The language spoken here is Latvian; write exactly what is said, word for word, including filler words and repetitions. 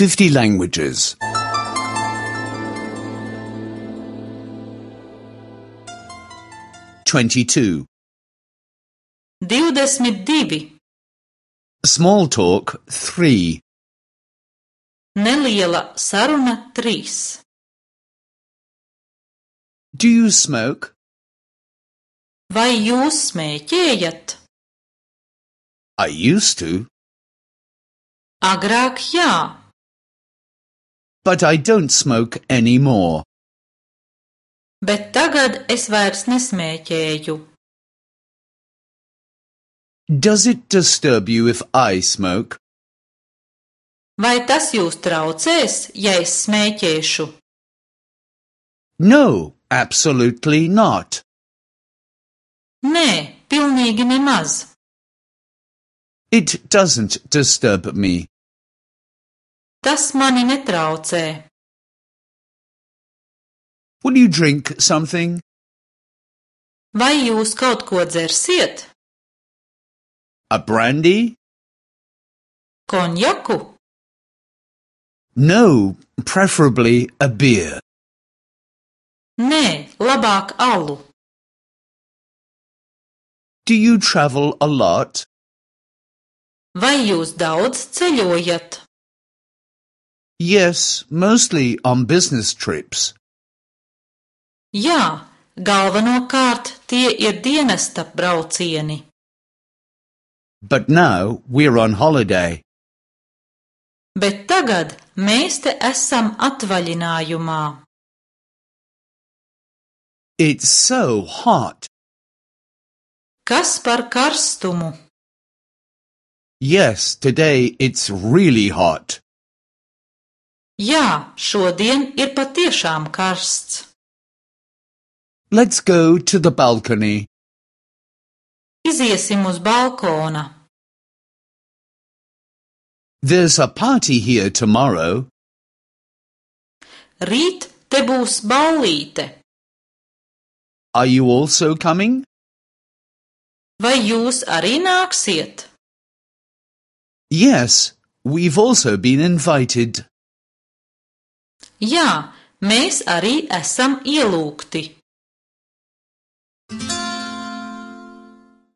fifty languages. twenty-two. Divdesmit divi. Small talk, three. Neliela saruna, trīs. Do you smoke? Vai jūs smēķējat? I used to, Agrāk jā, but I don't smoke anymore. bet tagad es vairs nesmēķēju. Does it disturb you if I smoke? Vai tas jūs traucēs, ja es smēķēšu? No, absolutely not. Nē, pilnīgi nemaz. It doesn't disturb me. Tas mani netraucē. Will you drink something? Vai jūs kaut ko dzersiet? A brandy? Konjaku? No, preferably a beer. Nē, labāk alu. Do you travel a lot? Vai jūs daudz ceļojat? Yes, mostly on business trips. Jā, galvenokārt tie ir dienesta braucieni. But now we're on holiday. Bet tagad mēs te esam atvaļinājumā. It's so hot. Kas par karstumu? Yes, today it's really hot. Jā, šodien ir patiešām karsts. Let's go to the balcony. Iziesim uz balkona. There's a party here tomorrow. Rīt te būs ballīte. Are you also coming? Vai jūs arī nāksiet? Yes, we've also been invited. Jā, mēs arī esam ielūgti.